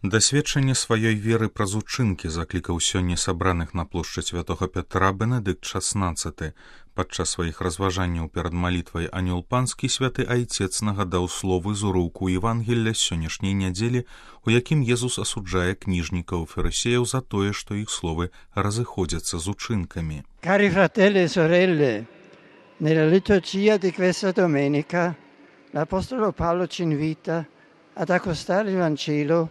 Дасведчанне сваёй веры праз учынкі заклікаў сёння сабраных на плошчы святога Пятра Бенедыкт XVI. Падчас сваіх разважанняў перад малітвай Анёл Панскі святы айцец нагадаў словы з урыўку Евангелля сённяшняй нядзелі, у якім Езус асуджае кніжнікаў і фарысеяў за тое, што іх словы разыходзяцца з учынкамі. Cari fratelli e sorelle, nella liturgia di questa domenica l'Apostolo Paolo ci invita ad accostare il Vangelo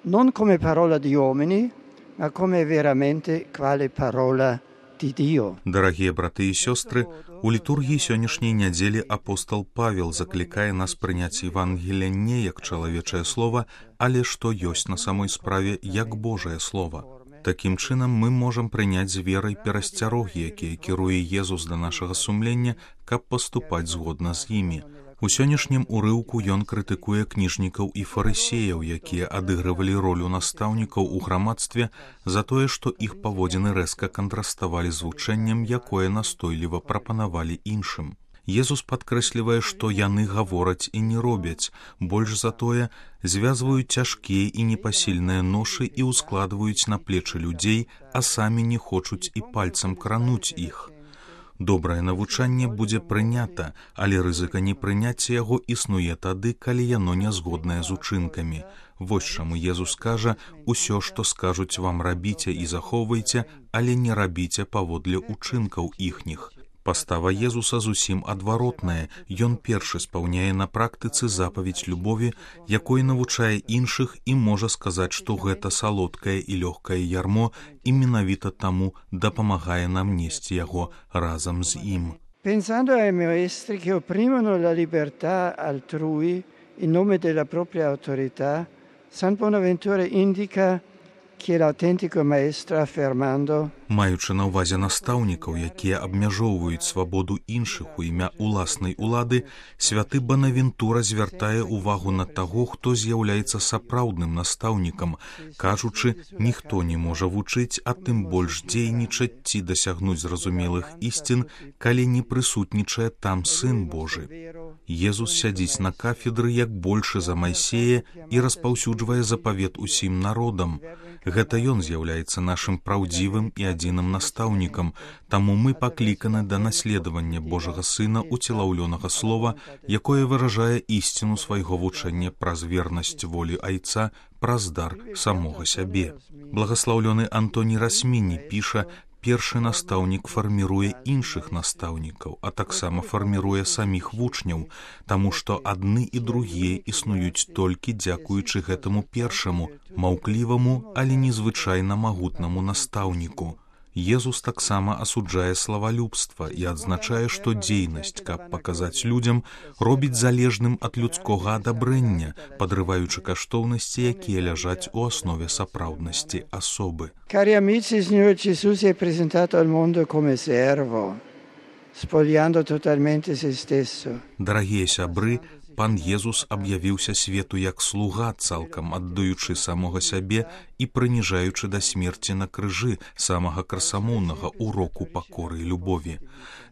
non come parola di uomini, ma come veramente quale parola di Dio. Дарагія браты і сёстры, у літургіі сённяшняй нядзелі апостол Павел заклікае нас прыняць Евангелие не як чалавечае слова, але што ёсць на самой справе як Божае слова. Такім чынам мы можам прыняць з верай перасцярогі, якія кіруе Езус да нашага сумлення, каб паступаць згодна з імі. У сённяшнім урыўку ён крытыкуе кніжнікаў і фарысеяў, якія адыгрывалі ролю настаўнікаў у грамадстве за тое, што іх паводзіны рэзка кантраставалі з вучэннем, якое настойліва прапанавалі іншым. Езус падкрэслівае, што яны гавораць і не робяць, больш за тое, звязваюць цяжкія і непасільныя ношы і ўскладваюць на плечы людзей, а самі не хочуць і пальцам крануць іх. Добрае навучанне будзе прынята, але рызыка непрыняцця яго існуе тады, калі яно нязгоднае з учынкамі. Вось чаму Езус кажа: «Усё, што скажуць вам, рабіце і захоўвайце, але не рабіце паводле учынкаў іхніх». Пастава Езуса зусім адваротная. Ён першы спаўняе на практыцы запаведь любові, якой навучае іншых і можа сказаць, што гэта салодкае і лёгкае ярмо, і менавіта таму дапамагае нам несці яго разам з ім. Pensando ai maestri che opprimono la libertà altrui in nome della propria autorità, San Bonaventura indica che l'autentico maestro affermando: Маючы на ўвазе настаўнікаў, якія абмяжоўваюць свабоду іншых у імя уласнай улады, святы Бонавентура звяртае ўвагу на таго, хто з'яўляецца сапраўдным настаўнікам, кажучы, ніхто не можа вучыць, а тым больш дзейнічаць ці дасягнуць зразумелых ісцін, калі не прысутнічае там Сын Божы. Езус сядзіць на кафедры як большы за Майсея і распаўсюджвае запавет усім народам. Гэта ён з'яўляецца нашым праўдзівым і адзіным настаўнікам, таму мы пакліканы да наследавання Божага Сына уцелаўлёнага слова, якое выражае ісціну свайго вучэння праз вернасць волі Айца, праз дар самога сябе. Благаслаўлёны Антоній Расміні піша: «Першы настаўнік фарміруе іншых настаўнікаў, а таксама фарміруе саміх вучняў, таму што адны і другія існуюць толькі дзякуючы гэтаму першаму, маўкліваму, але незвычайна магутнаму настаўніку». Езус таксама асуджае славалюбства і адзначае, што дзейнасць, каб паказаць людзям, робіць залежным ад людскога адабрэння, падрываючы каштоўнасці, якія ляжаць у аснове сапраўднасці асобы. Cari amici, il Signore Gesù si è presentato al mondo come servo, spogliando totalmente se stesso. Дарагія сябры, Пан Езус аб'явіўся свету як слуга, цалкам аддаючы самога сябе і прыніжаючы да смерці на крыжы самага красамоўнага уроку пакоры і любові.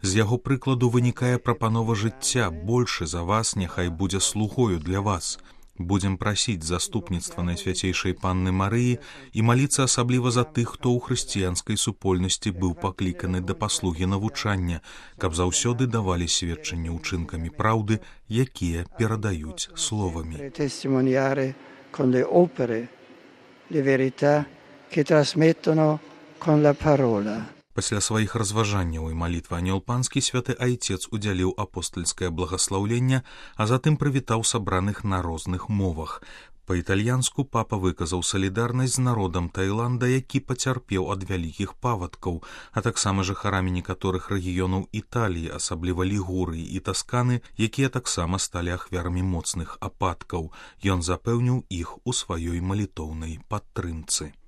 З яго прыкладу вынікае прапанова жыцця: большы за вас няхай будзе слугою для вас. Будзем прасіць заступніцтва Найсвяцейшай Панны Марыі і маліцца асабліва за тых, хто ў хрысціянскай супольнасці быў пакліканы да паслугі навучання, каб заўсёды давалі сведчанне ўчынкамі праўды, якія перадаюць словамі. Testimoniare con le opere le verità che trasmettono con la parola. Пасля сваіх разважанняў і малітвы Анёл Панскі святы айцец удзяліў апостальскае благаслаўленне, а затым прывітаў сабраных на розных мовах. Па-італьянску папа выказаў салідарнасць з народам Таіланда, які пацярпеў ад вялікіх павадкаў, а таксама жыхарамі некаторых рэгіёнаў Італіі, асабліва Лігурыі і Тасканы, якія таксама сталі ахвярамі моцных ападкаў. Ён запэўніў іх у сваёй малітоўнай падтрымцы.